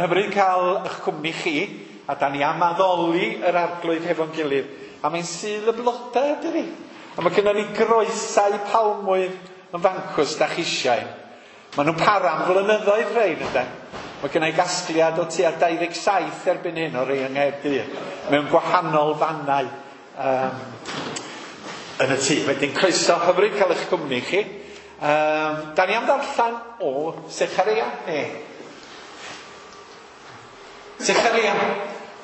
Hyfryd cael eich cwmni chi, a da ni am addoli yr arglwydd hefo'n gilydd. A mae'n Sul y Blodau, dydi? A mae gennym ni groesau palmwydd yn fancws da chi eisiau. Maen nhw'n para am flynyddoedd rhain, ynde? Mae gen i gasgliad o tua 27 erbyn hyn o rei yng Nghaerdydd, mewn gwahanol fannau yn y tŷ. Wedyn croeso, hyfryd cael eich cwmni chi. Da ni am ddarllen o Sechareia, ne? Sechareia,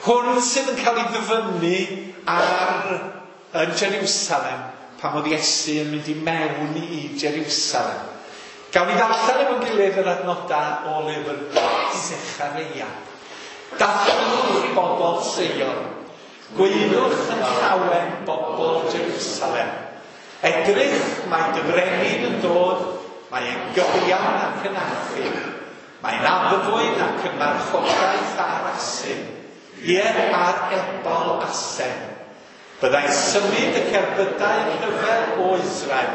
hwn sydd yn cael ei ddyfynnu ar yn Jerusalem pan oedd Iesu yn mynd i mewn i Jerusalem. Gawn ni ddarllen efo'n gilydd yr adnodau o lyfr Sechareia. Dathlwch bobl Seion, gwaeddwch yn llawen bobl Jerusalem. Edrych, mae dy frenin yn dod, mae e'n gyfiawn ac yn achub. Mae'n addfwyn ac yn marchogaeth ar asyn, ie, ar ebol asen. Byddai'n symud y cerbydau rhyfel o Israel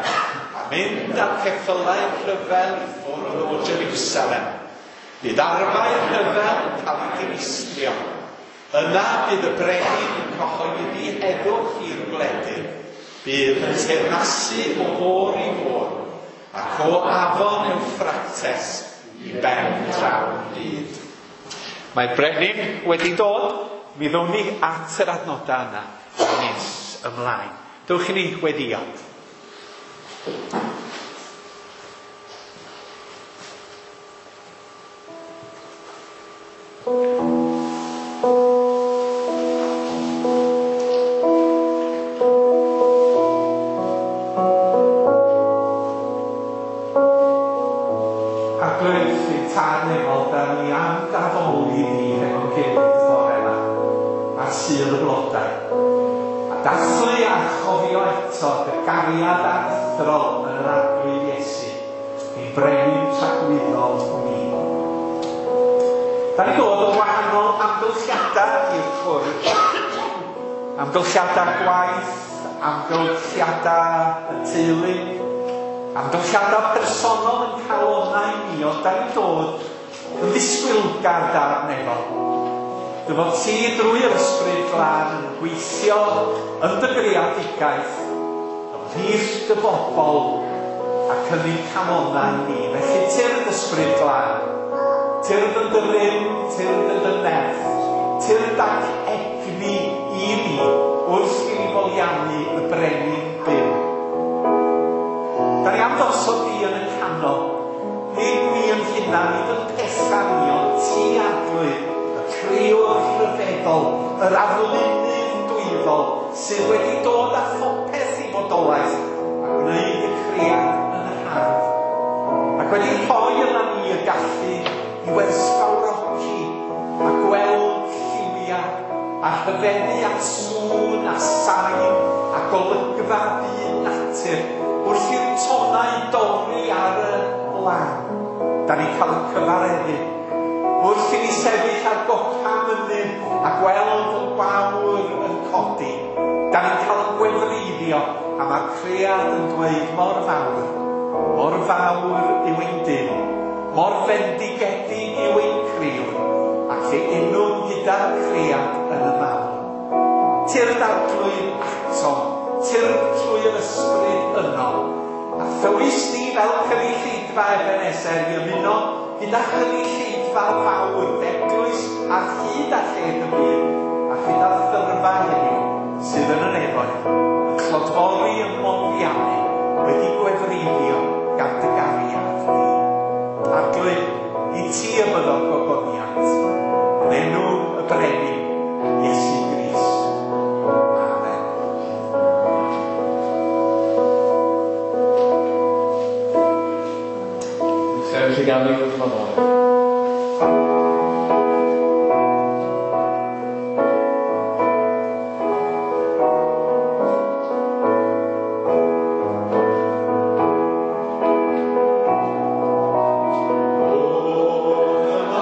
a mynd â'r ceffylau rhyfel i ffwrdd o Jerusalem. Bydd arfau rhyfel yn cael eu dinistrio. Yna bydd y brenin yn cyhoeddi heddwch i'r gwledydd. Bydd yn teyrnasu o fôr i fôr, ac o afon Ewffrates i ben draw'r byd. Mae'r brenin wedi dod, mi ddown ni at yr adnodau yna nes ymlaen. Dewch i ni weddïo. Arglwydd, ein Tad nefol, da ni am d'addoli di hefo'n gilydd bore yma, ar Sul y Blodau, a dathlu a chofio eto dy gariad aruthrol yn yr Arglwydd Iesu, ein Brenin tragwyddol ni. Da ni'n dod o wahanol amgylchiadau i'r cwrdd. Amgylchiadau gwaith, amgylchiadau y teulu, amgylchiadau personol yn calonnau ni, ond da ni'n dod yn ddisgwylgar Dad nefol. Dy fod ti drwy yr Ysbryd Glân yn gweithio yn dy greadigaeth, ymhlith dy bobl ac yn ein calonnau ni. Felly tyrd Ysbryd Glân, tyrd yn dy rym, tyrd yn dy nerth, tyrd ac egni i ni wrth i ni foliannu y brenin byw. Da ni am ddosod di yn y canol, nid ni yn hunan, nid yn pethau ni, ond ti Arglwydd, y crëwr rhyfeddol, yr arlunydd dwyfol, sydd wedi dod â phopeth i fodolaeth a gwneud y cread yn hardd, ac wedi rhoi yna ni y gallu i werthfawrogi a gweld lliwiau a rhyfeddu at sŵn a sain a golygfa byd natur wrth i'r tonnau dorri ar y lan. Da ni'n cael ein cyfareddu. Wrth i ni sefyll ar gopa mynydd a gweld y gwawr yn codi, da ni'n cael ein gwefreiddio a mae'r cread yn dweud mor fawr, mor fawr yw ein Duw, mor fendigedig yw ein Crëwr, ac fe unwn gyda'r cread yn y mawl. Tyrd Arglwydd atom, tyrd trwy yr Ysbryd yno, a thywys ni fel cynulleidfa Ebenezer i ymuno gyda chynulleidfa fawr d'eglwys ar hyd a lled y byd, a chyda thyrfa heddiw sydd yn y nefoedd, yn clodfori ym moliannu, wedi gwefreiddio gan dy gariad di. Arglwydd, i ti y byddo gogoniant, yn enw y Brenin, Iesu Grist. Amen. Sefyll i ganu wrth Nadolig. O, dyma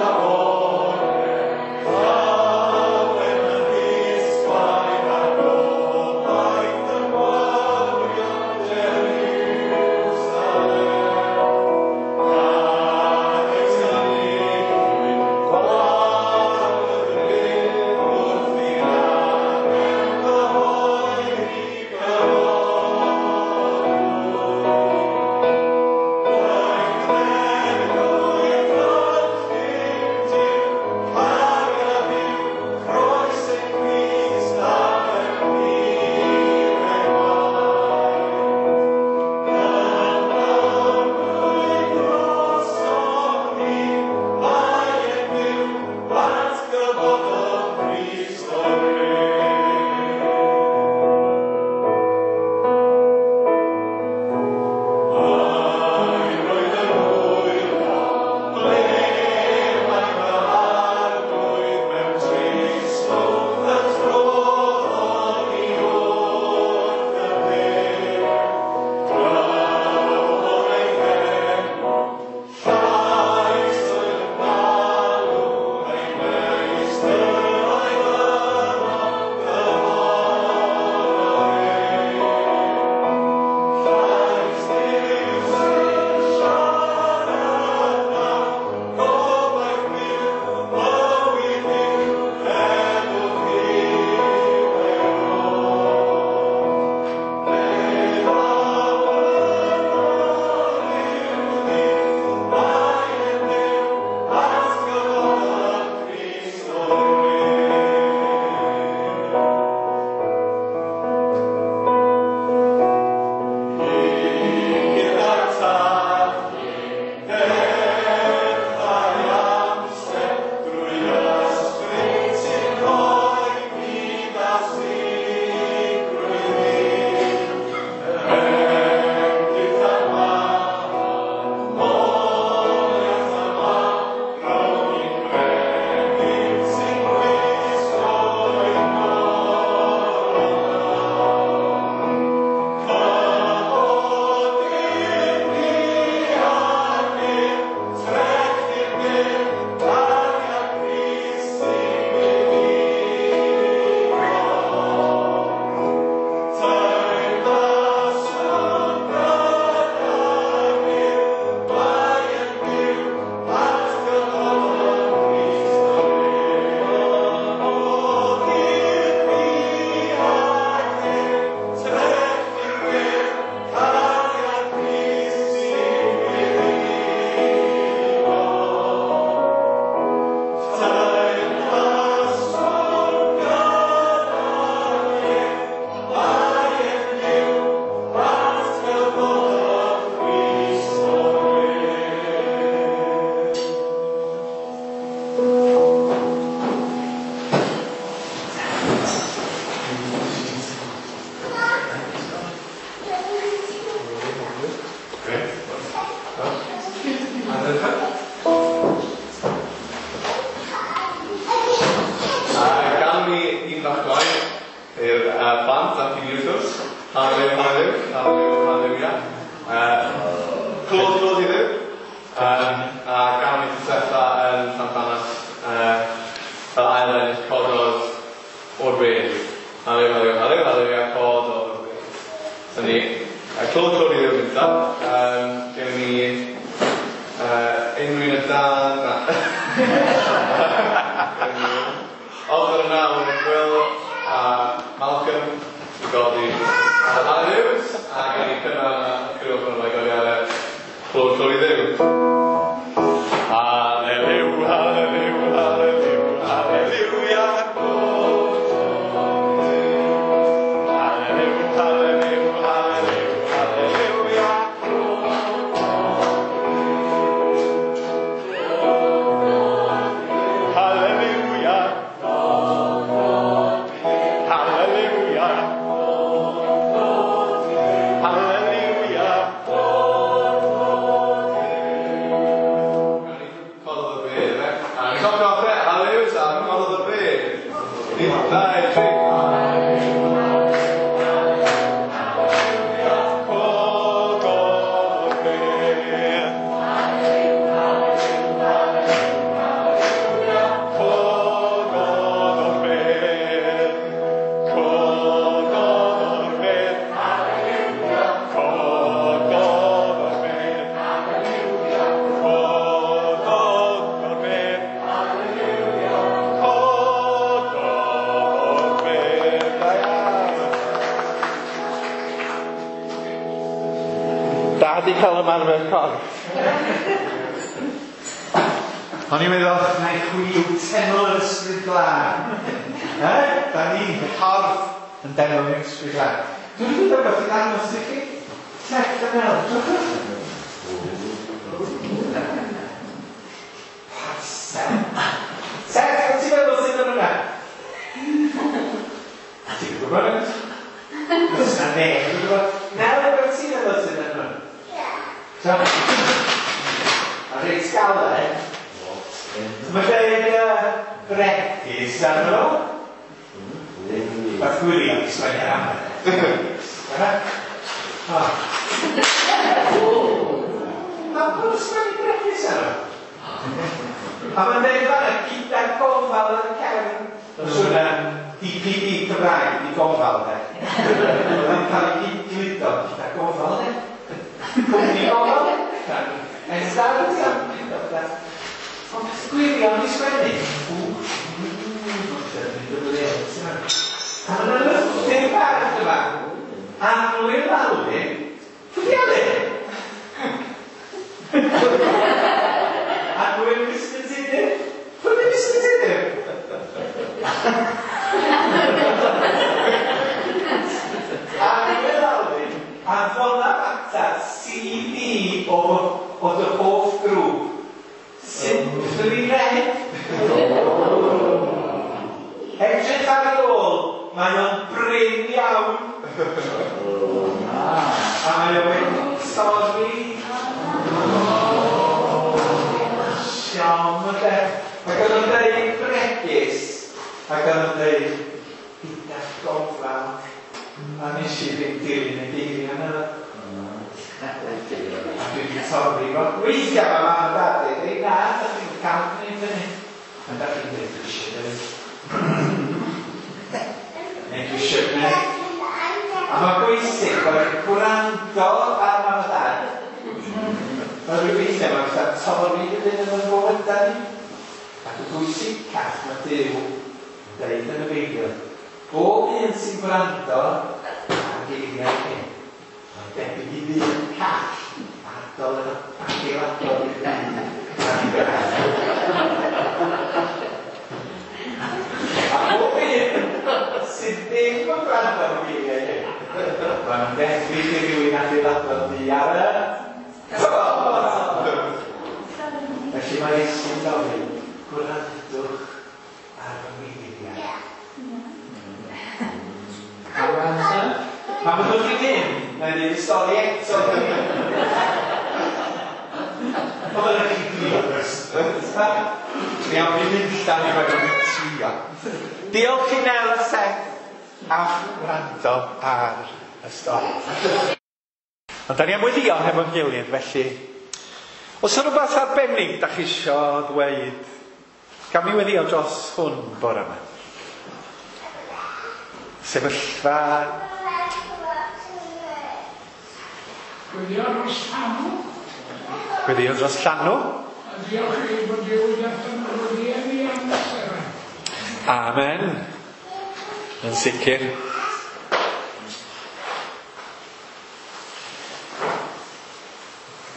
Oedd yna Will a Malcolm i godi Hallelujah a gan i cynnal a criw o'r i godi ar y clod clod i Dduw. Hallelujah, hallelujah, hallelujah, hallelujah, clod clod i Dduw. Hallelujah, hallelujah, hallelujah, hallelujah, clod clod i Dduw. Hallelujah. Hallelujah. Hallelujah. Cododd y bedd, e? A ni'n cofio off e, hallelujah, a cododd y bedd. Un, dau, tri. Cododd y bedd. Cododd o'r bedd. Cododd o'r bedd. Cododd o'r bedd. Cododd o'r bedd. Cododd o'r bedd. Da iawn. Da di cael ymarfer corff. O'n i'n meddwl, na i chwi yw teml yr Ysbryd Glân. Da ni, y corff, yn deml yr Ysbryd Glân. Dwi'n dweud rhywbeth i ddangos i chi. Seth a Nel, drychwch. Parsel. Seth, beth ti'n meddwl sydd yn hwnna? Ti'n gwybod yn? Does na neb yn gwybod. Nel, beth ti'n meddwl sydd yn hwnna? So, a reit galed. Mae dweud bregys arno fo. Mae'r gwirion i sgwennu'r amser. Mae pwy sgwennu bregys arno? A mae'n dweud fanna gyda gofal ar y cefn. Mae'n siŵr na DPD Cymraeg di gofal de. Oedd yn cael ei gludo gyda gofal de. Cwmni gofal. Ers Ond peth gwirion i sgwennu. A mae'n lythyr bach yma. Annwyl Alun. Pwy di Alun? Annwyl Mr Tudur. Pwy di Mr Tudur? Annwyl Alun. Anfona ata CD o dy hoff grŵp. Simply Red. Edrych ar y ôl, mae o'n brin iawn. A mae o wedi torri. Siom o de. Ac oedd o'n dweud bregus. Ac oedd o'n dweud gyda gofal. A nes i ddim dilyn y geiriau yna. A dwi wedi torri fo. Weithiau mae mam a dad yn dweud, na, da chi'n cael gwneud hynny. A da chi'n dweud, dwi eisiau gwneud. Neu dwi eisiau gwneud. A mae'n bwysig bod yn gwrando ar mam a dad. Mae rhyw weithiau mae'n fatha torri rhywun yn y bywydau ni. Ac y bwysicach mae Duw yn dweud yn y Beibl, bob un sy'n gwrando ar geiriau hyn, mae'n debyg i ddyn call adol yn adeiladol i'r byd. A bob un sydd ddim yn gwrando ar geiriau hyn, mae'n debyg i rywun adeiladol di ar y Felly mae Iesu'n gofyn, gwrandwch ar fy ngeiriau. Pan byddwch chi'n mynd, na i ddeud y stori eto. Oedd yna chi drio. Iawn, fi'n mynd allan i fod yn trio. Diolch i Nel a Seth am wrando ar y stori. Ond da ni am weddïo hefo'n gilydd, felly. Os yna rhywbeth arbennig da chi isio ddweud, gawn ni weddïo dros hwn bore yma. Sefyllfa. Gweddio dros llanw. Gweddio dros llanw. A diolch i bod Duw wedi allan o'r rieni am Seren. Amen. Yn sicr.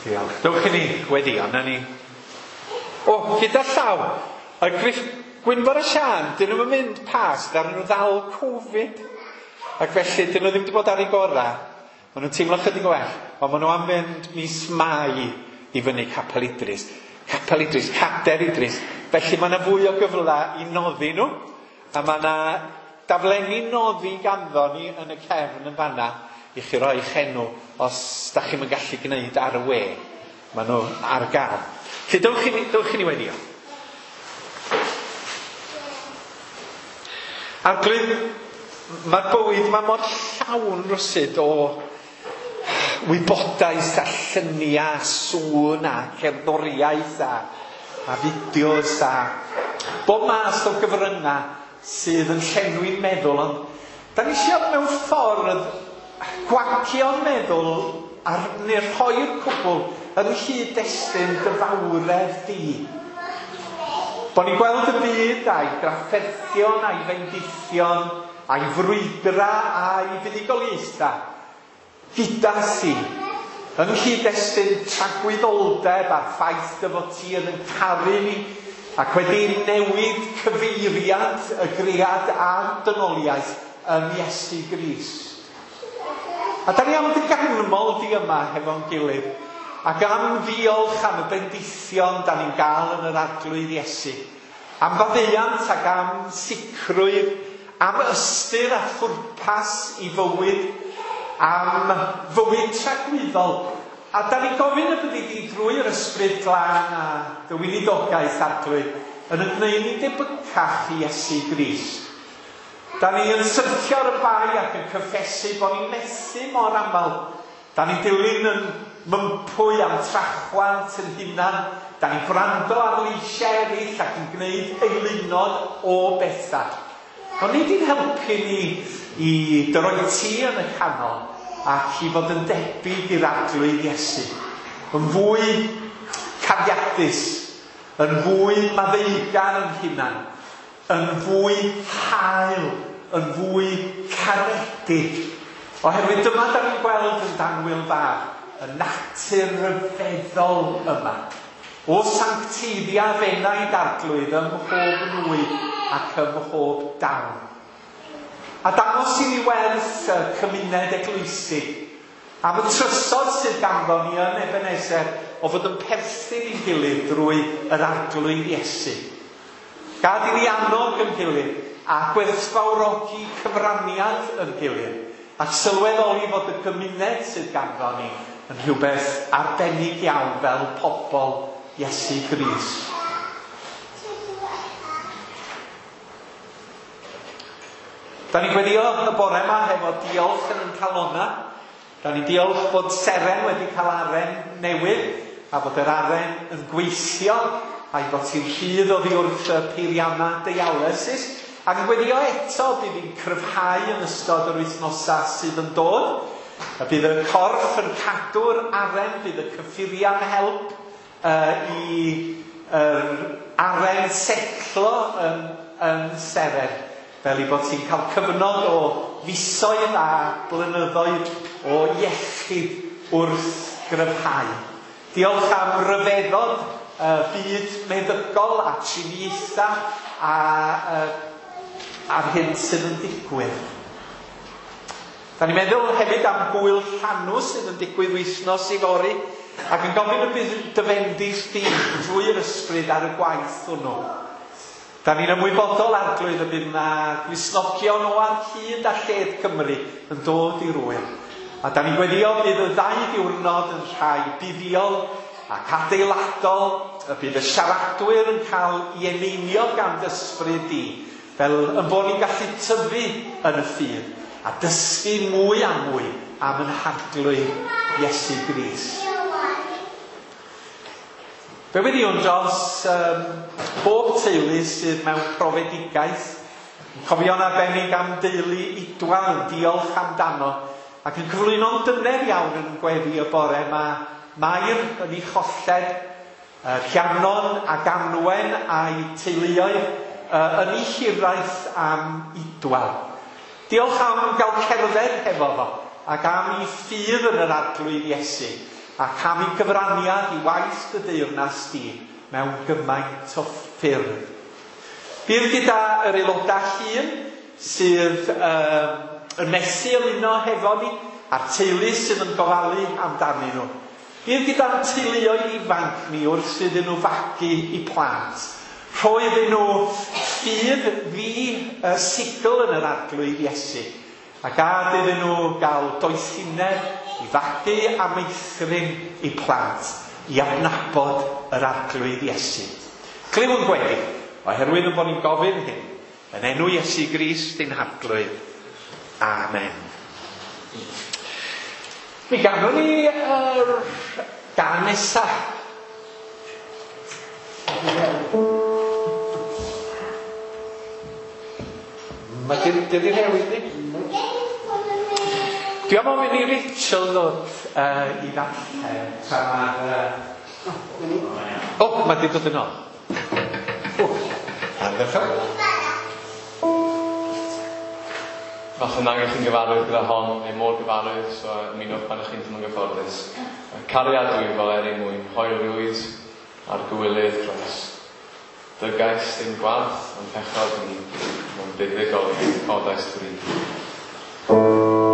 Diolch. Dewch i ni weddio, na ni. O, gyda llaw, y Griff Gwynfor a Siân, dyn nhw'n mynd pas, ddaru nhw ddal Covid. Ac felly, dyn nhw ddim wedi bod ar eu gorau. Maen nhw'n teimlo chydig o well, ond maen nhw am fynd mis Mai i fyny Capel Idris. Capel Idris, Cader Idris. Felly mae yna fwy o gyfle i noddi nhw. A mae yna daflenni noddi ganddo ni yn y cefn yn fanna i chi roi eich enw os da chi'm yn gallu gwneud ar y we. Maen nhw ar gael. Felly dewch i ni, dewch i ni weddio. Arglwydd, mae'r bywyd mae mor llawn rywsut o wybodaeth a lluniau, a sŵn a cerddoriaeth a fideos a bob math o gyfryngau sydd yn llenwi'n meddwl, ond da ni eisiau mewn ffordd gwagio'n meddwl a neu rhoi'r cwbl yn nghyd-destun dy fawredd di. Bo ni'n gweld y byd a'i drafferthion a'i fendithion a'i frwydra a'i fuddugoliaethau gyda thi, yng nghyd-destun tragwyddoldeb a'r ffaith dy fod ti yn yn caru ni ac wedi newid cyfeiriad y gread a'r dynoliaeth yn Iesu Grist. A da ni am dy ganmol di yma hefo'n gilydd, ac am ddiolch am y bendithion da ni'n gael yn yr Arglwydd Iesu, am faddeuant ac am sicrwydd, am ystyr a phwrpas i fywyd, am fywyd tragwyddol. A da ni'n gofyn y byddi di drwy'r Ysbryd Glân a dy weinidogaeth, Arglwydd, yn y gwneud ni'n debycach i Iesu Grist. Da ni yn syrthio ar y bai ac yn cyffesu bod ni'n methu mor aml. Da ni'n dilyn yn mympwy am trachwant yn hunan. Da ni'n gwrando ar leisiau eraill ac yn gwneud eilunod o bethau. Ond nid i'n helpu ni i dy roi ti yn y canol ac i fod yn debyg i'r Arglwydd Iesu. Yn fwy cariadus, yn fwy maddeugar yn hunan, yn fwy hael, yn fwy caredig. Oherwydd dyma da ni'n gweld yn Danwyl Fab, y natur ryfeddol yma. O sancteiddia f'enaid Arglwydd ym mhob nwy ac ym mhob dawn. A dangos i ni werth y cymuned eglwysig, am y trysor sydd ganddo ni yn Ebenezer o fod yn perthyn i'n gilydd drwy yr Arglwydd Iesu. Gad i ni annog yn gilydd a gwerthfawrogi cyfraniad yn gilydd, ac sylweddoli fod y gymuned sydd ganddo ni yn rhywbeth arbennig iawn fel pobl Iesu Grist. Da ni'n gweddio y bore yma hefo diolch yn ein calonna. Da ni'n diolch bod Seren wedi cael aren newydd a bod yr aren yn gweithio a'i bod hi'n rhydd oddi wrth y peiriannau dialysis. Ac yn gweddio eto bydd hi'n cryfhau yn ystod yr wythnosau sydd yn dod. A bydd y corff yn cadw'r aren, bydd y cyffuriau'n help i yr aren setlo yn Seren, fel i bod ti'n cael cyfnod o fisoedd a blynyddoedd o iechyd wrth gryfhau. Diolch am ryfeddod byd meddygol a triniaethau a'r hyn sydd yn digwydd. Da ni'n meddwl hefyd am gwyl llanw sydd yn digwydd wythnos i fory, ac yn gofyn y bydd dy fendith di drwy'r ysbryd ar y gwaith hwnnw. Da ni'n ymwybodol, Arglwydd, y bydd na Gristnogion o ar hyd a lled Cymru yn dod i'r ŵyl. A da ni'n gweddio bydd y ddau ddiwrnod yn rhai buddiol ac adeiladol, y bydd y siaradwyr yn cael ei eneinio gan dy ysbryd di, fel yn bod ni'n gallu tyfu yn y ffydd a dysgu mwy a mwy am yn Harglwydd Iesu Grist. Fe weddiwn dros bob teulu sydd mewn profedigaeth, yn cofio'n arbennig am deulu Idwal, yn diolch amdano, ac yn cyflwyno'n dyner iawn yn gweddi y bore yma Mair yn ei cholled. Rhiannon ac Anwen a'i teuluoedd yn ei hiraeth am Idwal. Diolch am gael cerdded hefo fo ac am ei ffydd yn yr Arglwydd Iesu ac am ei gyfraniad i waith dy deyrnas di mewn gymaint o ffyrdd. Bydd gyda yr aelodau hŷn sydd yn methu ymuno hefo ni a'r teulu sydd yn gofalu amdanyn nhw. Bydd gyda'n teuluoedd ifanc ni wrth iddyn nhw fagu i plant. Rhoi iddyn nhw ffydd ddi-sigl yn yr Arglwydd Iesu. A gad iddyn nhw gael doethineb i fagu a meithrin i plant i adnabod yr Arglwydd Iesu. Clyw yn gweddi, oherwydd yn bod ni'n gofyn hyn, yn enw Iesu Grist ein Harglwydd. Amen. Mi ganwn ni yr gân nesa. Mae di newid ni. Dwi am ofyn i Rachel ddod i ddarllen tra mae'r... O, mae di dod yn ôl. Ardderchog. Falle nag ych chi'n gyfarwydd gyda hon, neu mor gyfarwydd, so ymunwch pan ych chi'n teimlo'n gyfforddus. Cariad dwyfol er ei mwyn, hoelrwydd a'r gywilydd dros. Dygais ddim gwarth, ond pechod ni, mewn buddugoliaeth codais bri. Cariad dwyfol er ei mwyn, hoelrwydd a'r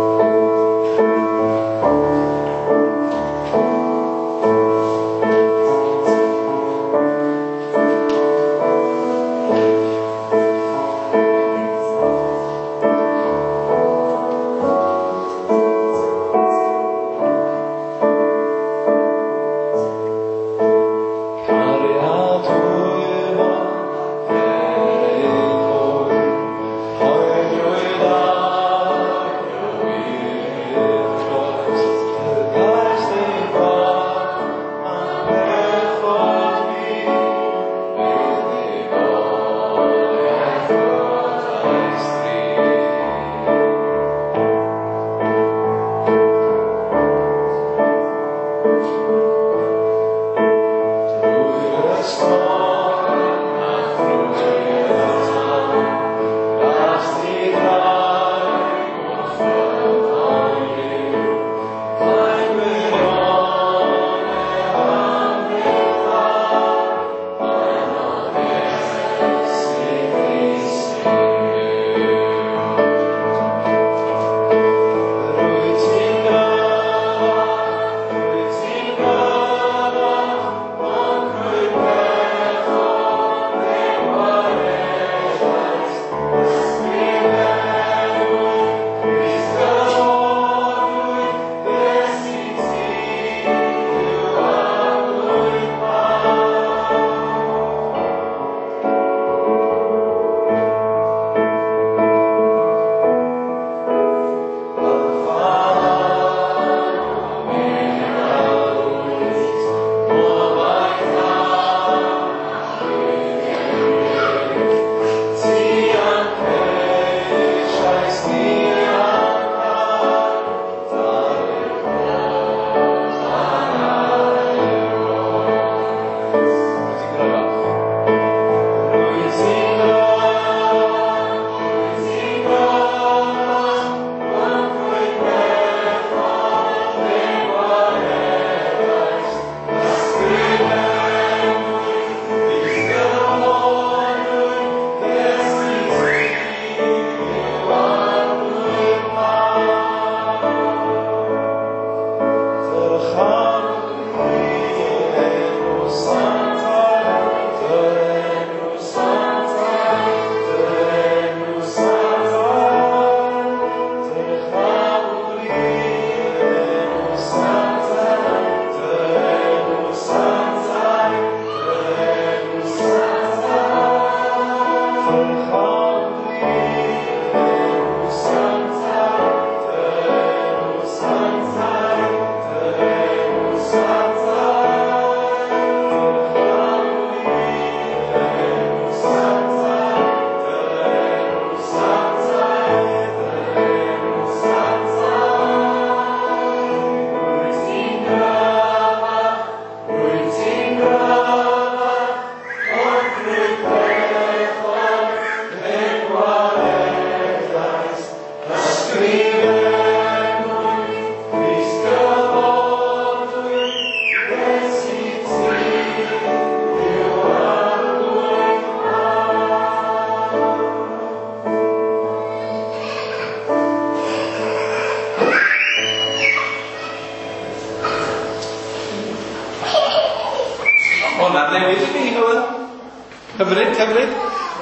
Hyfryd, hyfryd.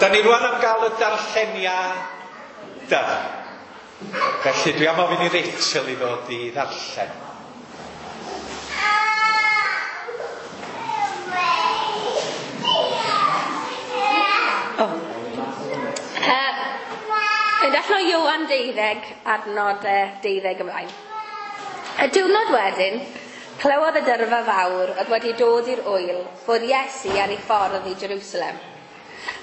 Da ni rwan am gael y darlleniadau. Felly dwi am ofyn i Rachel i ddod i ddarllen. Oh. Yn darllen o Ioan 12, adnod 12 ymlaen. Y diwrnod wedyn, clywodd y dyrfa fawr oedd wedi dod i'r ŵyl fod Iesu ar ei ffordd i Jerusalem.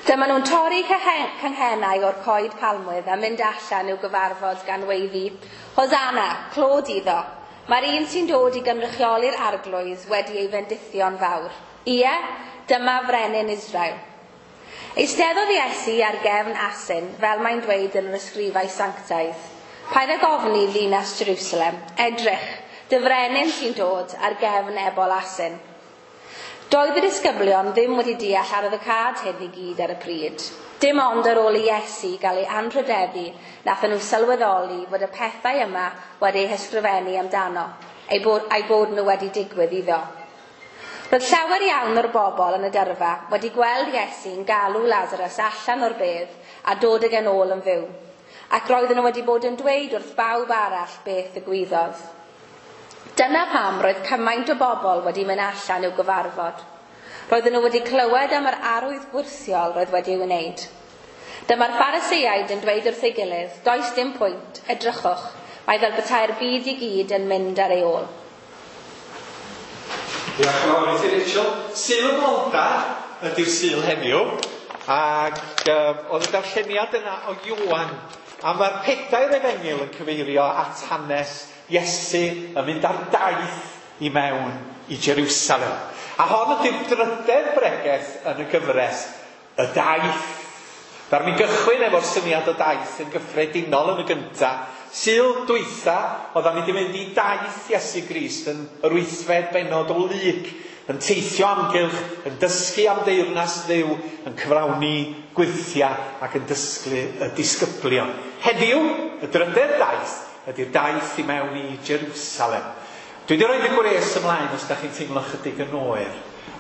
Dyma nhw'n torri canghennau o'r coed palmwydd a mynd allan i'w gyfarfod gan weiddi, Hosanna, clod iddo, mae'r un sy'n dod i gynrychioli'r arglwydd wedi ei fendithio'n fawr. Ie, dyma frenin Israel. Eisteddodd Iesu ar gefn asyn, fel mae'n dweud yn yr ysgrifau sanctaidd. Paid ag ofni ddinas Jerusalem, edrych, dy frenin sy'n dod ar gefn ebol asyn. Doedd y disgyblion ddim wedi deall arwyddocâd hyn i gyd ar y pryd. Dim ond ar ôl i Iesu gael ei anrhydeddu, nathon nhw sylweddoli fod y pethau yma wedi eu hysgrifennu amdano, a'i bod nhw wedi digwydd iddo. Roedd llawer iawn o'r bobl yn y dyrfa wedi gweld Iesu'n galw Lazarus allan o'r bedd a dod ag e'n ôl yn fyw, ac roedden nhw wedi bod yn dweud wrth bawb arall beth ddigwyddodd. Dyna pam roedd cymaint o bobl wedi mynd allan i'w gyfarfod. Roedden nhw wedi clywed am yr arwydd gwyrthiol roedd wedi ei wneud. Dyma'r Phariseaid yn dweud wrth ei gilydd, does dim pwynt, edrychwch, mae fel petai'r byd i gyd yn mynd ar ei ôl. Diolch yn fawr i ti, Rachel. Sul y Bloda ydy'r Sul heddiw, ac oedd y darlleniad yna o Ioan, a mae'r pedair efengyl yn cyfeirio at hanes Iesu yn mynd ar daith i mewn i Jerusalem. A hon ydy'r drydedd bregeth yn y gyfres, y daith. Ddaru ni gychwyn efo'r syniad o daith yn gyffredinol yn y gynta. Sul dwytha, oeddan ni wedi mynd i daith Iesu Grist yn yr wythfed bennod o Luc, yn teithio amgylch, yn dysgu am deyrnas Dduw, yn cyflawni gwyrthiau ac yn dysgu y disgyblion. Heddiw, y drydedd daith, ydy'r daith i mewn i Jerusalem. Dwi wedi rhoi y gwres ymlaen os da chi'n teimlo chydig yn oer.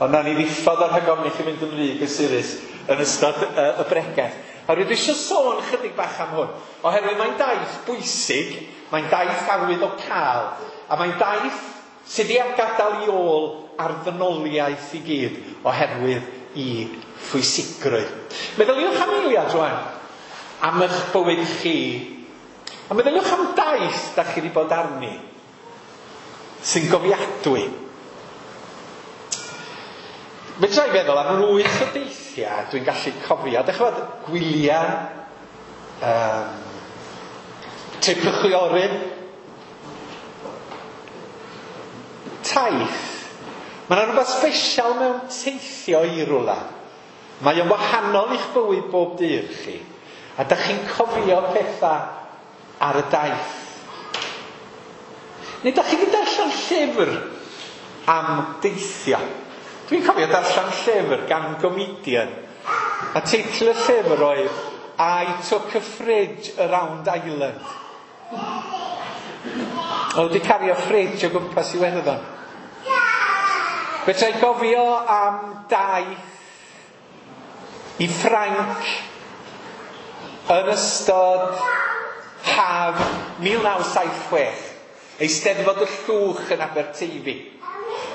Ond nawn ni ddiffodd o'r rhag ofn i chi fynd yn rhy gysurus yn ystod y bregeth. A rydw i eisiau sôn chydig bach am hwn, oherwydd mae'n daith bwysig, mae'n daith arwyddocaol, a mae'n daith sydd wedi gadael i ôl ar ddynoliaeth i gyd oherwydd i phwysigrwydd. Meddyliwch am eiliad rwan, am eich bywyd chi, a meddyliwch am daith da chi wedi bod arni, sy'n gofiadwy. Fedra i feddwl am lwyth o deithiau dwi'n gallu cofio. Dych chi'n gwybod, gwyliau, trip y chwiorydd, taith. Mae yna rhywbeth special mewn teithio i rwla. Mae o'n wahanol i'ch bywyd bob dydd chi. A dych chi'n cofio pethau ar y daith. Neu dych chi wedi darllen llyfr am deithio. Dwi'n cofio darllen llyfr gan gomedian. A teitl y llyfr oedd I Took a Fridge Around Ireland. Oedd wedi cario fridge o gwmpas Iwerddon. Fedra i gofio am daith i Ffrainc yn ystod haf 1976. Eisteddfod y Llwch yn Aberteifi.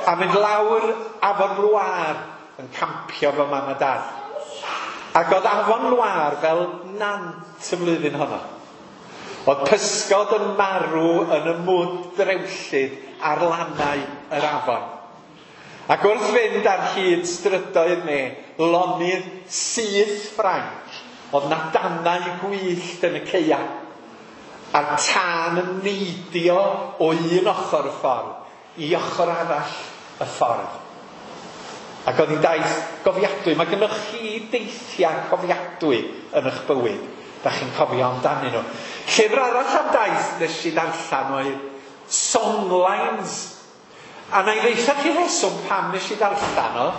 A mynd lawr Afon Loire yn campio fo mam a dad. Ac oedd Afon Loire fel nant y flwyddyn honno. Oedd pysgod yn marw yn y mwd drewllyd ar lannau yr afon. Ac wrth fynd ar hyd strydoedd neu lonydd syth Ffrainc, oedd na danau gwyllt yn y caea. A'r tân yn neidio o un ochr y ffordd i ochr arall y ffordd. Ac oedd hi'n daith gofiadwy. Mae gennych chi deithiau cofiadwy yn eich bywyd. Da chi'n cofio amdanyn nhw. Llyfr arall am daith nes i ddarllen oedd Songlines. A na i ddeutha chi reswm pam nes i ddarllen o.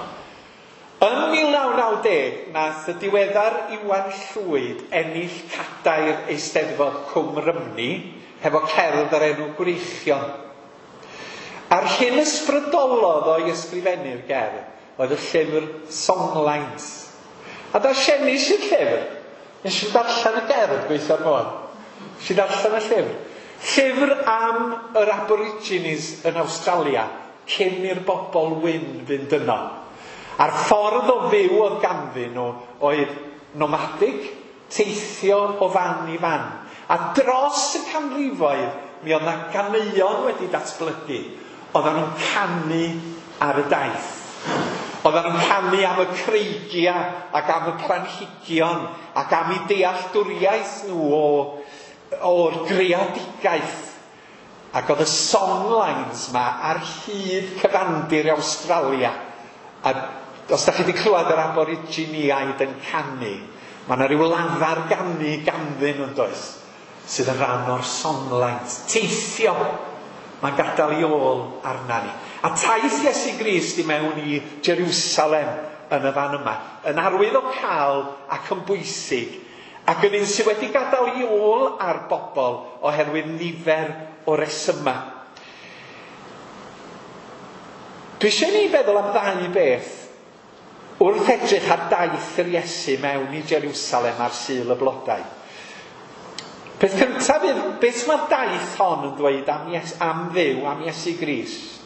Yn 1990, nath y diweddar Iwan Llwyd ennill cadair Eisteddfod Cwm Rhymni hefo cerdd ar enw Gwreichion. A'r hyn ysbrydolodd o'i ysgrifennu'r gerdd oedd y llyfr Songlines. A darllenis i'r llyfr. Nes i darllen y gerdd gweithio'r modd. Nes i darllen y llyfr. Llyfr am yr Aborigines yn Awstralia cyn i'r bobl wyn fynd yno. A'r ffordd o fyw oedd ganddyn nhw oedd nomadig, teithio o fan i fan. A dros y canrifoedd, mi oedd 'na ganeuon wedi datblygu. Oedden nhw'n canu ar y daith. Oedden nhw'n canu am y creigiau ac am y planhigion ac am eu dealltwriaeth nhw o'r greadigaeth. Ac oedd y songlines ma ar hyd cyfandir Awstralia. A os da chi wedi clywed yr Aboriginiaid yn canu, mae yna rhyw lafar ganu ganddyn nhw'n does, sydd yn rhan o'r songlines. Teithio, mae'n gadael ei ôl arna ni. A taith Iesu Grist i mewn i Jerusalem yn y fan yma, yn arwydd o cael ac yn bwysig, ac yn un sydd wedi gadael ei ôl ar bobl oherwydd nifer o resymau. Dwi eisiau ni feddwl am ddau beth wrth edrych ar daith yr Iesu mewn i Jerusalem ar Sul y Blodau. Peth cyntaf yw, beth mae'r daith hon yn dweud am Dduw, am Iesu Grist?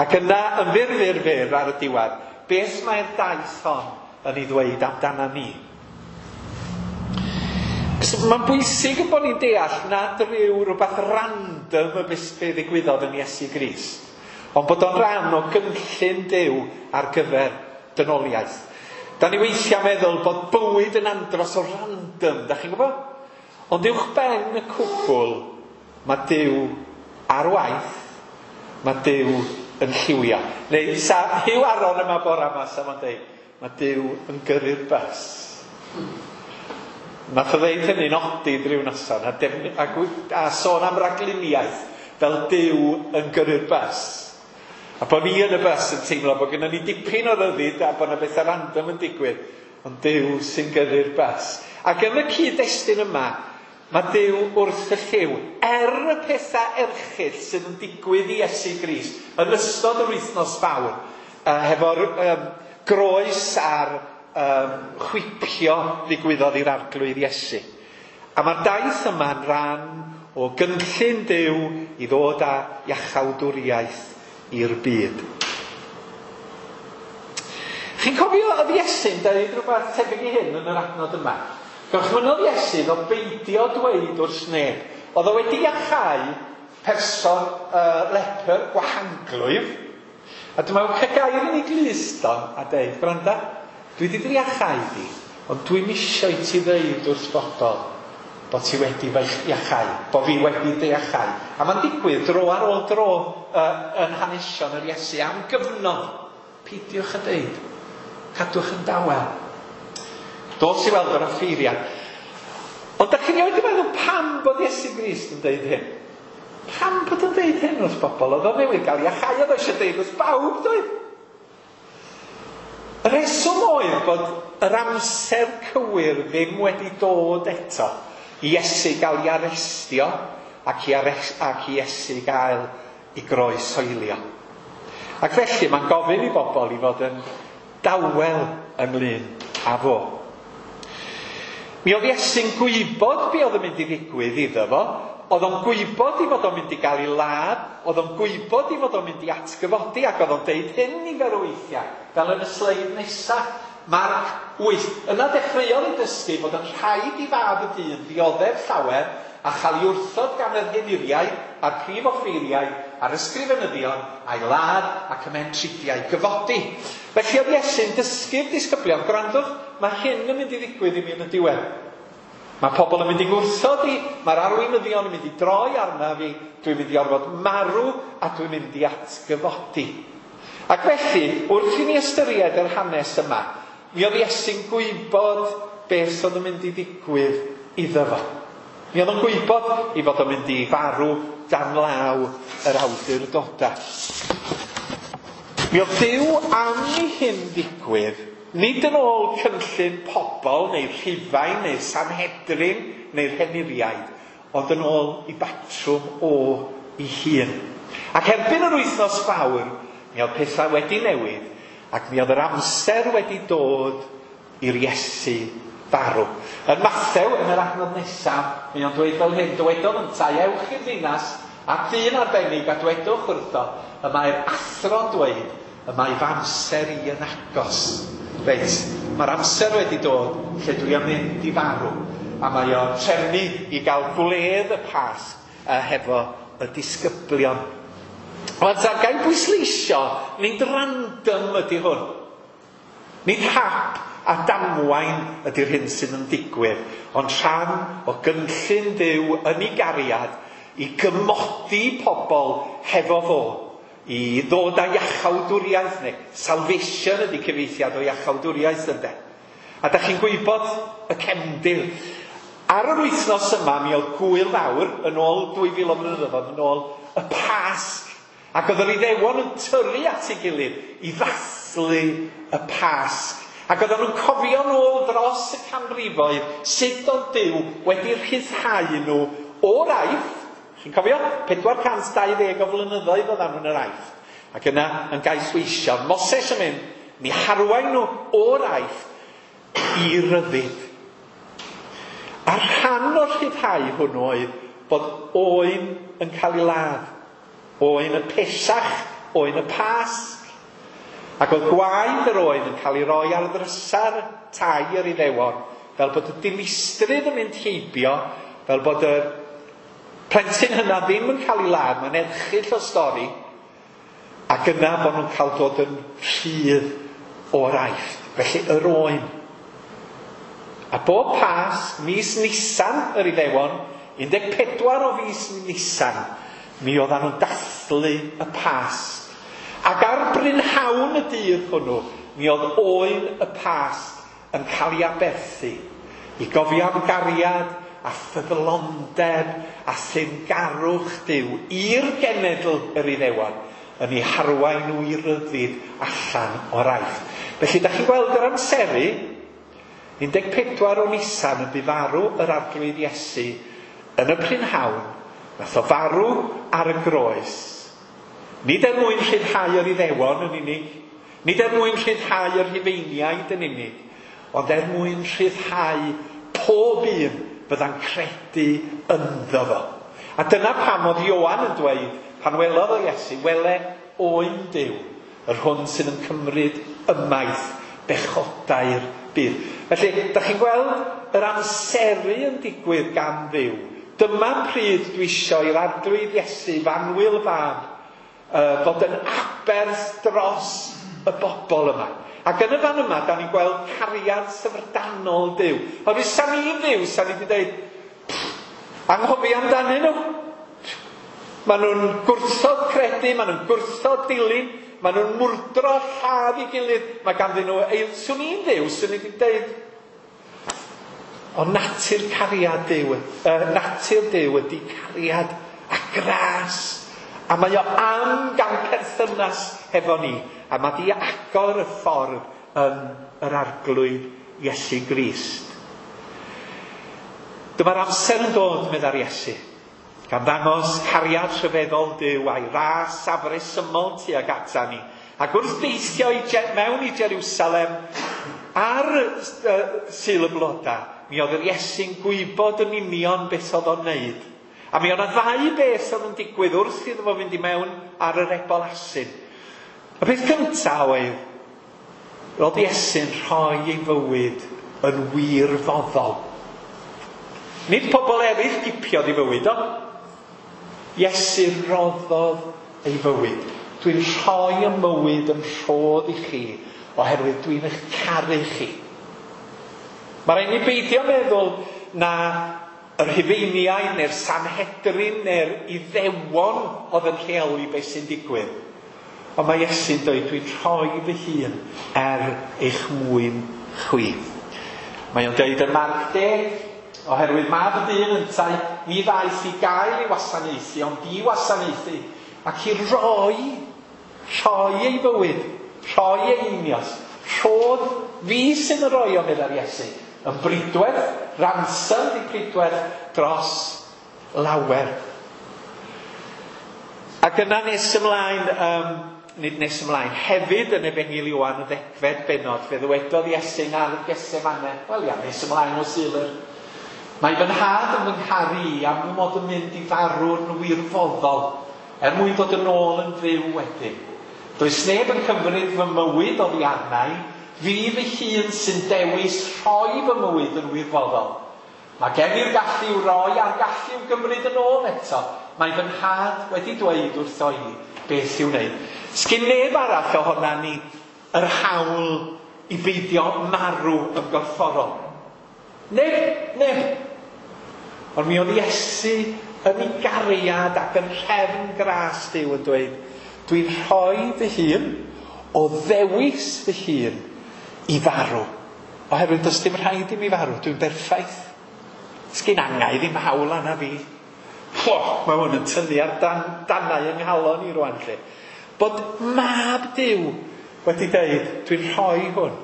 Ac yna, yn fyr, fyr, fyr ar y diwedd, beth mae'r daith hon yn ei ddweud amdana ni? Mae'n bwysig yn bod ni'n deall nad rhyw rhywbeth random y beth ddigwyddodd yn Iesu Grist, ond bod o'n rhan o gynllun Duw ar gyfer dynoliaeth. Da ni weithiau meddwl bod bywyd yn andros o random, da chi'n gwybod? Ond uwch ben y cwbl, mae Duw ar waith, mae Duw yn lliwio. Neu sa Huw Aron yma bora yma, sa fo'n deud, mae Duw yn gyrru'r bws. Nath o ddeud hynny'n odid rhyw noson, a sôn am ragluniaeth fel Duw yn gyrru'r bws. A bod ni yn y bws yn teimlo bod gennym ni dipyn o ryddid a bod yna bethau random yn digwydd, ond Duw sy'n gyrru'r bws. Ac yn y cyd-destun yma, mae Duw wrth y llyw, er y pethau erchyll sydd yn digwydd i Iesu Grist yn ystod yr wythnos fawr, hefo'r groes a'r chwipio ddigwyddodd i'r Arglwydd Iesu. A mae'r daith yma'n rhan o gynllun Duw i ddod â iachawdwriaeth i'r byd. Chi'n cofio oedd Iesu'n dweud rhywbeth tebyg i hyn yn yr adnod yma? Gorchmynnodd Iesu iddo beidio dweud wrth neb. Oedd o wedi iachau person lepr gwahanglwyf. A dyma cael gair yn ei glust o a deud, gwranda, dwi wedi dy iachau di, ond dwi'm isio i ti ddeud wrth bobl bod ti wedi fy iachau, bod fi wedi dy iachau. A mae'n digwydd dro ar ôl dro yn hanesion yr Iesu am gyfnod. Peidiwch a deud, cadwch yn dawel. Dos i weld yr offeiriad. Ond da chi'n rioed wedi meddwl pam bod Iesu Grist yn deud hyn? Pam bod yn deud hyn wrth bobl? Oedd o newydd gael iachau, oedd o eisiau deud wrth bawb, doedd? Y rheswm oedd bod yr amser cywir ddim wedi dod eto i Iesu gael ei arestio ac i Iesu gael ei groeshoelio. Ac felly mae'n gofyn i bobl i fod yn dawel ynglyn â fo. Mi oedd Iesu'n gwybod be oedd yn mynd i ddigwydd iddo fo. Oedd o'n gwybod i fod o'n mynd i gael ei ladd, oedd o'n gwybod i fod o'n mynd i atgyfodi, ac oedd o'n deud hyn nifer o weithiau, fel yn y sleid nesaf, Marc 8. Yna dechreuodd ei dysgu bod yn rhaid i fab y dyn ddioddef llawer a chael ei wrthod gan yr henuriaid a'r prif offeiriaid a'r ysgrifenyddion a'i ladd ac ymhen tridiau gyfodi. Felly oedd Iesu'n dysgu'r disgyblion, gwrandwch, mae hyn yn mynd i ddigwydd i mi yn y diwedd. Mae pobl yn mynd i gwrthod i, mae'r arweinyddion yn mynd i droi arna fi, dwi'n mynd i orfod marw a dwi'n mynd i atgyfodi. Ac felly, wrth i ni ystyried yr hanes yma, mi oedd Iesu'n gwybod beth oedd yn mynd i ddigwydd iddo fo. Mi oedd o'n gwybod i fod o'n mynd i farw dan law yr awdurdodau. Mi oedd Duw am i hyn ddigwydd, nid yn ôl cynllun pobl, neu Rhufain, neu Sanhedrin, neu'r henuriaid, ond yn ôl i batrwm o ei hun. Ac erbyn yr wythnos fawr, mi oedd pethau wedi newid, ac mi oedd yr amser wedi dod i'r Iesu farw. Yn Mathew, yn yr adnod nesaf, mae o'n dweud fel hyn, dywedodd yntau, ewch i'r ddinas a dyn arbennig a dwedwch wrtho, y mae'r athro'n dweud, y mae fy amser i yn agos. Reit, mae'r amser wedi dod lle dwi am mynd i farw. A mae o'n trefnu i gael gwledd y Pasg hefo y disgyblion. Wel, ta, gael bwysleisio, nid random ydy hwn. Nid hap a damwain ydy'r hyn sydd yn digwydd, ond rhan o gynllun Duw yn ei gariad i gymodi pobl hefo fo, i ddod â iachawdwriaeth, neu salvation ydy cyfieithiad o iachawdwriaeth ynde. A da chi'n gwybod y cefndir. Ar yr wythnos yma, mi oedd gwyl fawr yn ôl 2000 o flynyddoedd, yn ôl y Pasg. Ac oedd yr Iddewon yn tyrru at ei gilydd i ddathlu y Pasg. Ac oedden nhw'n cofio nôl dros y canrifoedd sut oedd Duw wedi rhyddhau nhw o'r Aifft. Chi'n cofio? 420 o flynyddoedd oedden nhw'n yr Aifft. Ac yna yn gaethweision, Moses yn mynd, mi harwain nhw o'r Aifft i ryddid. A rhan o'r rhyddhau hwnnw oedd bod oen yn cael ei ladd. Oen y Pesach, oen y Pasg. Ac oedd gwaed yr oen yn cael ei roi ar ddrysa'r tai yr Iddewon, fel bod y dinistrydd yn mynd heibio, fel bod y plentyn hynna ddim yn cael ei ladd, mae'n erchyll o stori, ac yna bod nhw'n cael dod yn rhydd o'r Aifft. Felly yr oen. A bob Pasg, mis Nisan yr Iddewon, 14 o fis Nisan, mi oedden nhw'n dathlu y Pasg. Ac ar brynhawn y dydd hwnnw, mi oedd oen y Pasg yn cael ei aberthu i gofio am gariad a ffyddlondeb a thyngarwch Duw i'r genedl yr Iddewon yn ei harwain nhw i ryddid allan o'r Aifft. Felly, da chi'n gweld yr amseru, 14 o Nisan yn bu farw yr Arglwydd Iesu yn y prynhawn, nath o farw ar y groes. Nid er mwyn rhyddhau yr Iddewon yn unig, nid er mwyn rhyddhau yr Rhufeiniaid yn unig, ond er mwyn rhyddhau pob un fydda'n credu ynddo fo. A dyna pam oedd Ioan yn dweud, pan welodd o Iesu, wele oen Duw, yr hwn sydd yn cymryd ymaith bechodau'r byd. Felly, da chi'n gweld yr amseru yn digwydd gan Dduw. Dyma pryd dwi isio i'r Arglwydd Iesu, f'annwyl fab, fod yn aberth dros y bobl yma. Ac yn y fan yma, da ni'n gweld cariad syfrdanol Duw. Oherwydd sa ni'n Dduw, sa ni wedi dweud, anghofio amdanyn nhw. Maen nhw'n gwrthod credu, maen nhw'n gwrthod dilyn, maen nhw'n mwrdro lladd i gilydd. Mae ganddyn nhw, swn i'n Dduw, swn i wedi dweud, ond natur cariad Duw, natur Duw ydy cariad a gras. A mae o am gael perthynas hefo ni. A mae di agor y ffordd yn yr Arglwydd Iesu Grist. Dyma'r amser yn dod, meddai'r Iesu, gan ddangos cariad rhyfeddol Duw a'i ras afresymol tuag ata ni. Ac wrth deithio mewn i Jerusalem ar Sul y Bloda, mi oedd yr Iesu'n gwybod yn union beth oedd o'n wneud. A mi oedd yna ddau beth oedd yn digwydd wrth iddo fo fynd i mewn ar yr ebol asyn. Y peth cyntaf oedd, roedd Iesu'n rhoi ei fywyd yn wirfoddol. Nid pobl eraill gipiodd ei fywyd o. Iesu roddodd ei fywyd. Dwi'n rhoi y mywyd yn rhodd i chi, oherwydd dwi'n eich caru chi. Mae rhaid ni beidio meddwl na yr Rhufeiniaid neu'r Sanhedrin neu'r Iddewon oedd yn rheoli beth sy'n digwydd. Ond mae Iesu'n dweud, dwi'n rhoi fy hun er eich mwyn chwi. Mae o'n dweud yn Marc 10, oherwydd mab y dyn yntau, ni ddaeth i gael ei wasanaethu, ond i wasanaethu, ac i roi ei fywyd, rhoi ei einioes, rhodd fi sydd yn rhoi o, meddai'r Iesu, yn bridwerth, ransom di pridwerth dros lawer. Ac yna nes ymlaen, nid nes ymlaen, hefyd yn Efengyl Ioan y 10fed bennod, fe ddywedodd Iesu yn ardd Gethsemane, wel ia, nes ymlaen o Sul yr, mae fy nhad yn fy ngharu i am fy mod yn mynd i farw'n wirfoddol, er mwyn dod yn ôl yn fyw wedyn. Does neb yn cymryd fy mywyd oddi arna i, fi fy hun sy'n dewis rhoi fy mywyd yn wirfoddol. Mae gen i'r gallu i'w roi a'r gallu i'w gymryd yn ôl eto. Mae fy nhad wedi dweud wrtho i beth i'w wneud. Sgin neb arall ohona ni yr hawl i beidio marw yn gorfforol. Neb, neb. Ond mi oedd Iesu yn ei gariad ac yn rhefn gras Duw yn dweud, dwi'n rhoi fy hun o ddewis fy hun i farw. Oherwydd does dim rhaid i mi farw, dwi'n berffaith. Sgin angau ddim hawl arna fi. Ho, mae hwn yn tynnu ar danau yng nghalon i rwan lle. Bod mab Duw wedi dweud, dwi'n rhoi hwn.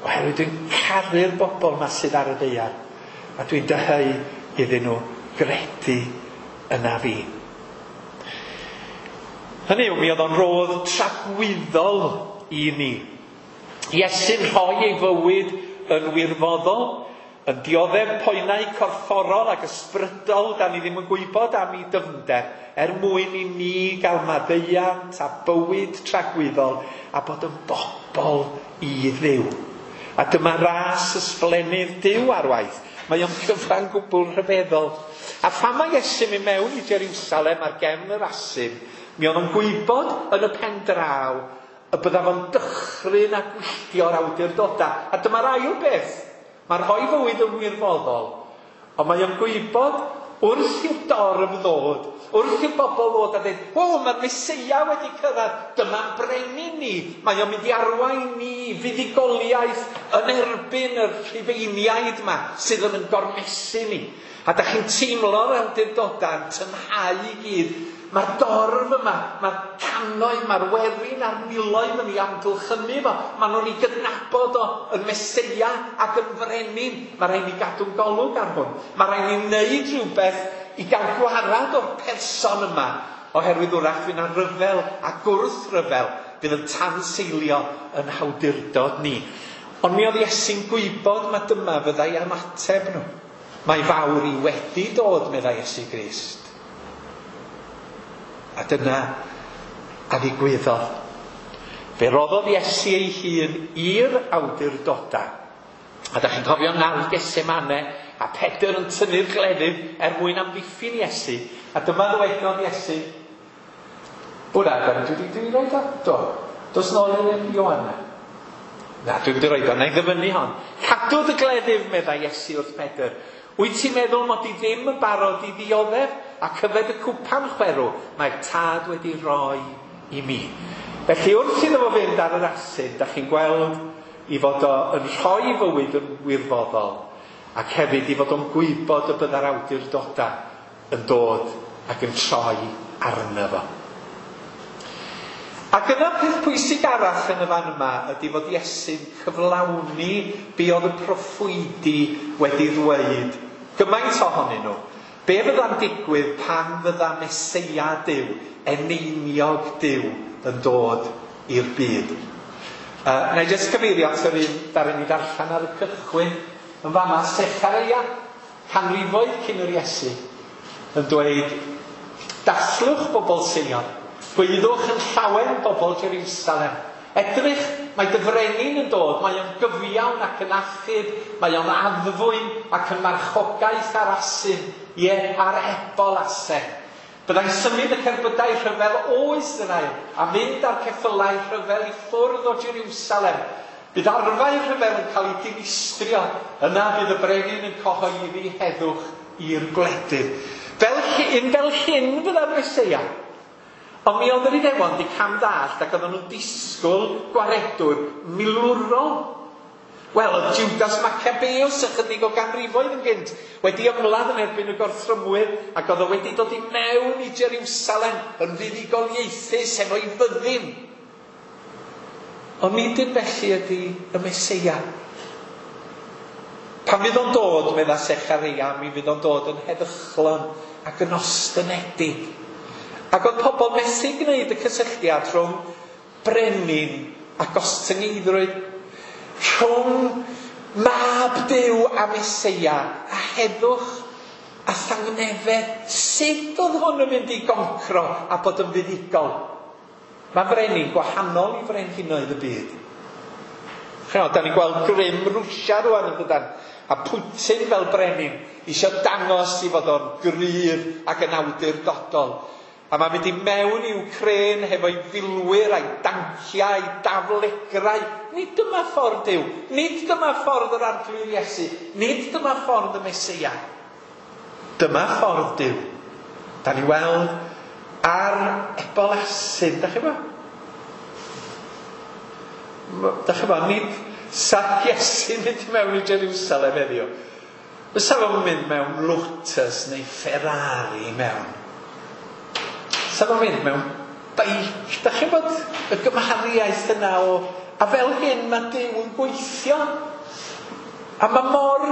Oherwydd dwi'n caru'r bobl ma sydd ar y ddaear. A dwi'n dyheu iddyn nhw gredu yna fi. Hynny yw, mi oedd o'n rodd tragwyddol i ni. Iesu'n rhoi ei fywyd yn wirfoddol, yn dioddef poenau corfforol ac ysbrydol, da ni ddim yn gwybod am ei dyfnder, er mwyn i ni gael maddeuant a bywyd tragwyddol a bod yn bobl i Dduw. A dyma ras ysblennydd Duw ar waith. Mae o'n gyfan gwbl rhyfeddol. A phan mae Iesu'n mynd mewn i Jerusalem ar gefn yr asyn, mi oedd o'n gwybod yn y pen draw y bydda fo'n dychryn a gwylltio'r awdurdodau. A dyma'r ail beth. Mae'n rhoi fywyd yn wirfoddol, ond mae o'n gwybod wrth i'r dorf ddod, wrth i'r bobl ddod a dweud, o, mae'r Meseia wedi cyrraedd, dyma'n brenin ni, mae o'n mynd i arwain ni fuddugoliaeth yn erbyn y Rhufeiniaid yma sydd yn gormesu ni. A da chi'n teimlo'r awdurdodau yn tynhau i gyd. Mae'r dorf yma, mae'r cannoedd, mae'r werin a'r miloedd yn ei amgylchynu fo. Maen nhw'n ei gydnabod o yn Meseia ac yn frenin. Mae rhaid ni gadw'n golwg ar hwn. Mae rhaid ni wneud rhywbeth i gael gwarad o'r person yma. Oherwydd wrach fydd yna ryfel a gwrthryfel fydd yn tanseilio yn hawdurdod ni. Ond mi oedd Iesu'n gwybod mae dyma fyddai ymateb nhw. Mae fawr i wedi dod, meddai Iesu Grist. A dyna a ddigwyddodd. Fe roddodd Iesu ei hun i'r awdurdodau. A da chi'n cofio ngardd Gethsemane a Pedr yn tynnu'r gleddyf er mwyn amddiffyn Iesu. A dyma ddywedodd Iesu. Wna, dwi wedi rhoi o? Do. Dos nôl i'r Ioanna. Na, dwi wedi rhoi o. Na i ddyfynnu hon. Cadw dy gleddyf, meddai Iesu wrth Pedr. Wyt ti'n meddwl mod i ddim yn barod i ddioddef a cyfed y cwpan chwerw mae'r tad wedi rhoi i mi. Felly wrth iddo fo fynd ar yr asyn, da chi'n gweld i fod o yn rhoi fywyd yn wirfoddol ac hefyd i fod o'n gwybod y bydda'r awdurdodau yn dod ac yn troi arno fo. Ac yna peth pwysig arall yn y fan yma ydy fod Iesu'n cyflawni be oedd y proffwydi wedi ddweud. Gymaint ohonyn nhw. Be fydda'n digwydd pan fydda Meseia Duw, eneiniog Duw, yn dod i'r byd? Na i jyst cyfeirio at yr un ddaru ni ddarllen ar y cychwyn yn fama, Sechareia, canrifoedd cyn yr Iesu, yn dweud, dathlwch bobl Seion, gwyddwch yn llawen bobl Jerusalem. Edrych, mae dy frenin yn dod, mae o'n gyfiawn ac yn achub, mae o'n addfwyn ac yn marchogaeth ar asyn, ie, ar ebol asen. Byddai'n symud y cerbydau rhyfel o Israel a mynd â'r ceffylau rhyfel i ffwrdd o Jerusalem. Bydd arfau rhyfel yn cael ei dinistrio, yna bydd y brenin yn cyhoeddi heddwch i'r gwledydd. Fel hyn fydda'r Meseia. Ond mi oedd yr Iddewon di camddallt ac oedden nhw'n disgwyl gwaredwr milwrol. Wel, oedd Judas Maccabeus ychydig o ganrifoedd yn gynt wedi ymladd yn erbyn y gorthrymwyr ac oedd o wedi dod i mewn i Jerusalem yn fuddugoliaethus efo'i fyddin. Ond nid yn felly ydy y Meseia. Pan fydd o'n dod, medda Sechareia, mi fydd o'n dod yn heddychlon ac yn ostynedig. Ac oedd pobl methu gwneud y cysylltiad rhwng brenin a gostyngeiddrwydd, rhwng mab Duw a Meseia a heddwch a thangnefedd. Sut oedd hwn yn mynd i goncro a bod yn fuddugol? Mae frenin gwahanol i frenhinoedd y byd. Ch'mod, da ni'n gweld grym Rwsia rwan yn dydan, a Putin fel brenin eisiau dangos i fod o'n gryf ac yn awdurdodol. A mae'n mynd i mewn i Wcrên hefo'i filwyr a'i danciau a'i daflegrau. Nid dyma ffordd Duw. Nid dyma ffordd yr Arglwydd Iesu. Nid dyma ffordd y Meseia. Dyma ffordd Duw. Da ni weld ar ebol asyn, da chi bo? Da chi bo, nid sa Iesu'n mynd i mewn i Jerusalem heddiw. Fysa fo'n mynd mewn Lotus neu Ferrari mewn. Sa fo'n mynd mewn beic. Da chi'n bod y gymhariaeth yna o... A fel hyn mae Duw yn gweithio. A mae mor...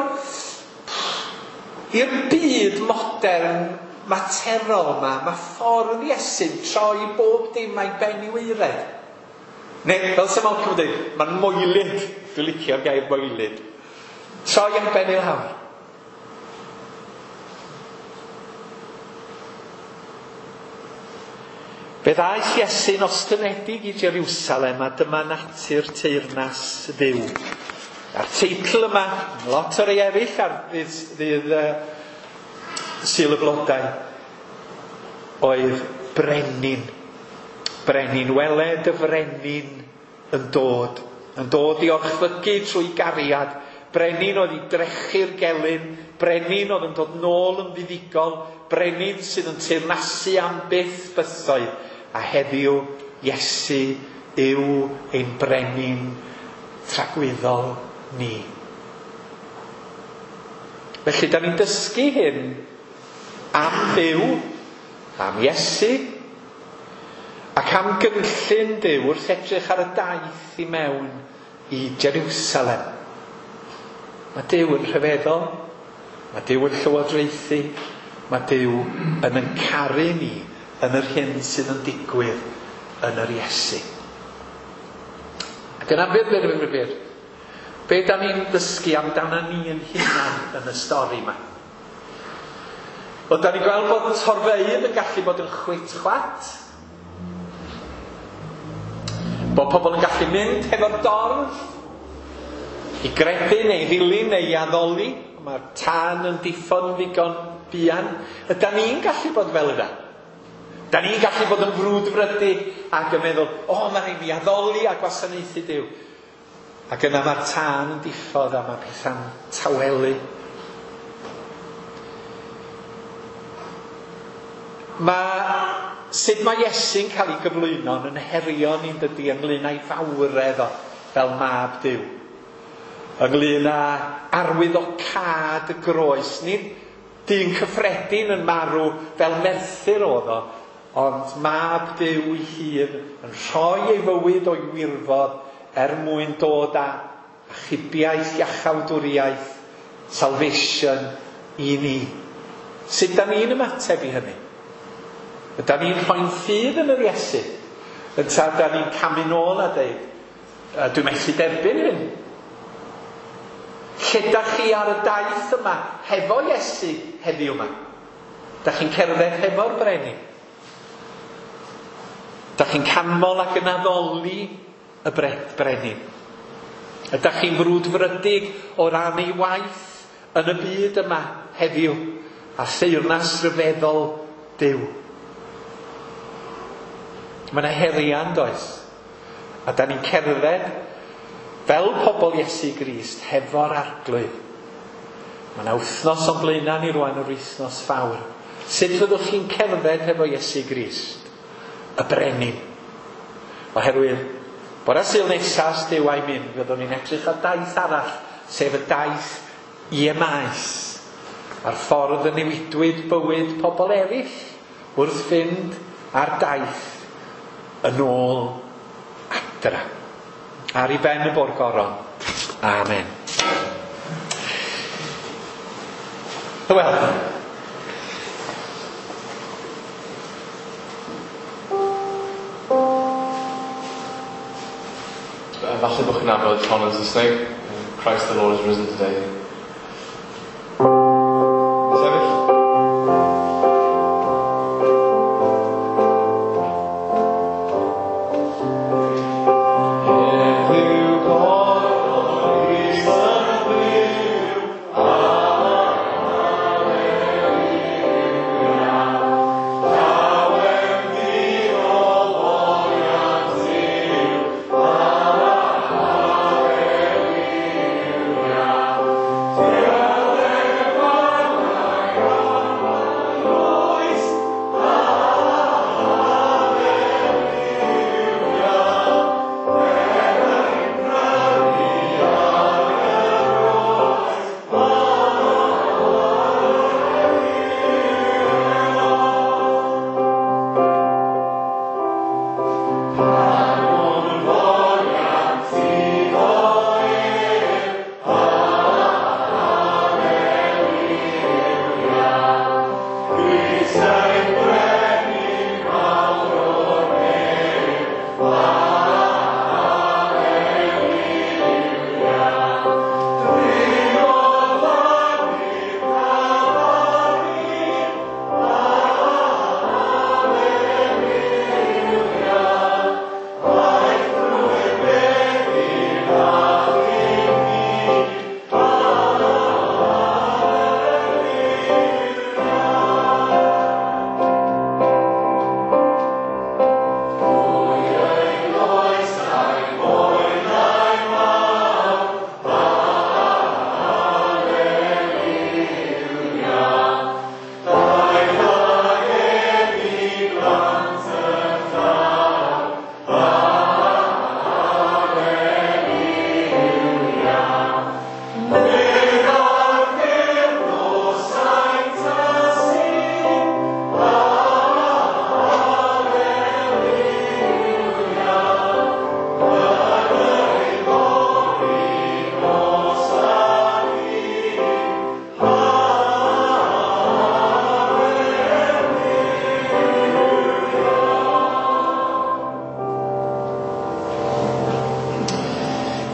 I'r byd modern materol yma, mae ffordd Iesu'n troi bob dim a'i ben i waered. Neu, fel Sir Malcolm yn dweud, mae'n moelyd. Dwi'n licio'r gair moelyd. Troi am ben i lawr. Fe ddaeth Iesu'n ostynedig i Jerusalem a dyma natur teyrnas Dduw. A'r teitl yma, lot o'r rei eraill ar ddydd Sul y Blodau, oedd Brenin. Brenin, weled y frenin yn dod. Yn dod i orchfygu trwy gariad. Brenin oedd i drechu'r gelyn. Brenin oedd yn dod nôl yn fuddugol. Brenin sydd yn teyrnasu am byth bythoedd. A heddiw, Iesu yw ein brenin tragwyddol ni. Felly, da ni'n dysgu hyn am Dduw, am Iesu, ac am gynllun Duw wrth edrych ar y daith i mewn i Jerusalem. Mae Duw yn rhyfeddol, mae Duw yn llywodraethu, mae Duw yn yn caru ni yn yr hyn sydd yn digwydd yn yr Iesu. Ac yna byr, be da ni'n dysgu amdano ni yn hunan yn y stori yma? Wel, da ni'n gweld bod torfeydd yn gallu bod yn chwit-chwat. Bod pobl yn gallu mynd hefo'r dorf i gredu neu ddilyn neu i addoli. Mae'r tân yn diffodd yn ddigon buan. Ydan ni'n gallu bod fel yna? Da ni'n gallu bod yn frwdfrydig ac yn meddwl, o, mae rhaid fi addoli a gwasanaethu Duw. Ac yna mae'r tân yn diffodd a mae pethau'n tawelu. Mae sut mae Iesu'n cael ei gyflwyno yn herio ni'n dydi ynglyn â'i fawredd o fel mab Duw. Ynglyn â arwyddocâd y groes. Nid dyn cyffredin yn marw fel merthyr oedd o, ond mab Duw ei hun yn rhoi ei fywyd o'i wirfodd er mwyn dod â achubiaeth, iachawdwriaeth, salvation i ni. Sut da ni'n ymateb i hynny? Ydan ni'n rhoi'n ffydd yn yr Iesu? Ynta da ni'n camu nôl a deud, dwi'n methu derbyn hyn. Lle da chi ar y daith yma hefo Iesu heddiw yma? Da chi'n cerdded hefo'r brenin? Da chi'n canmol ac yn addoli y brenin? Ydych chi'n frwdfrydig o ran ei waith yn y byd yma heddiw a theyrnas ryfeddol Duw? Mae yna heriau yn does? A da ni'n cerdded fel pobl Iesu Grist hefo'r Arglwydd. Mae yna wythnos o'n blaenau ni rwan, yr wythnos fawr. Sut fyddwch chi'n cerdded hefo Iesu Grist? Y brenin. Oherwydd, bore Sul nesaf, os Duw a'i mynd, fyddwn ni'n edrych ar daith arall, sef y daith i Emaus. A'r ffordd y newidwyd bywyd pobl eraill wrth fynd ar daith yn ôl adra. Ar ei ben y bo'r goron. Amen. Wel, chi'n nabod hon yn Saesneg. Christ the Lord is risen today. Sefyll. Heddiw gododd Grist yn fyw, Alleluia. Llawen ddiolch oliant Duw, Alleluia. Diolch oes, Alleluia.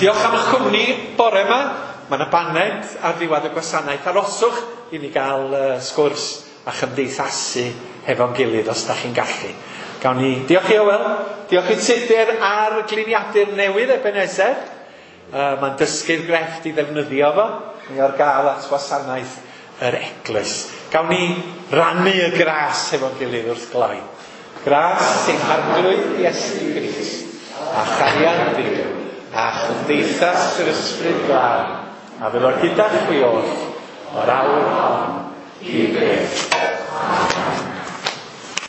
Diolch am eich cwmni bore yma. Mae yna baned ar ddiwedd y gwasanaeth. Aroswch i ni gael sgwrs a chymdeithasu hefo'n gilydd os da chi'n gallu. Gawn ni diolch i Owel, diolch i Tudur ar gliniadur newydd Ebenezer. Mae'n dysgu'r grefft i ddefnyddio fo. Mae o'r gael at wasanaeth yr eglwys. Gawn ni rannu y gras hefo'n gilydd wrth gloi. Gras ein Harglwydd Iesu Grist a chariad Duw a chymdeithas yr Ysbryd Glân, a fydd o gyda chwi oll o'r awr hon i byth.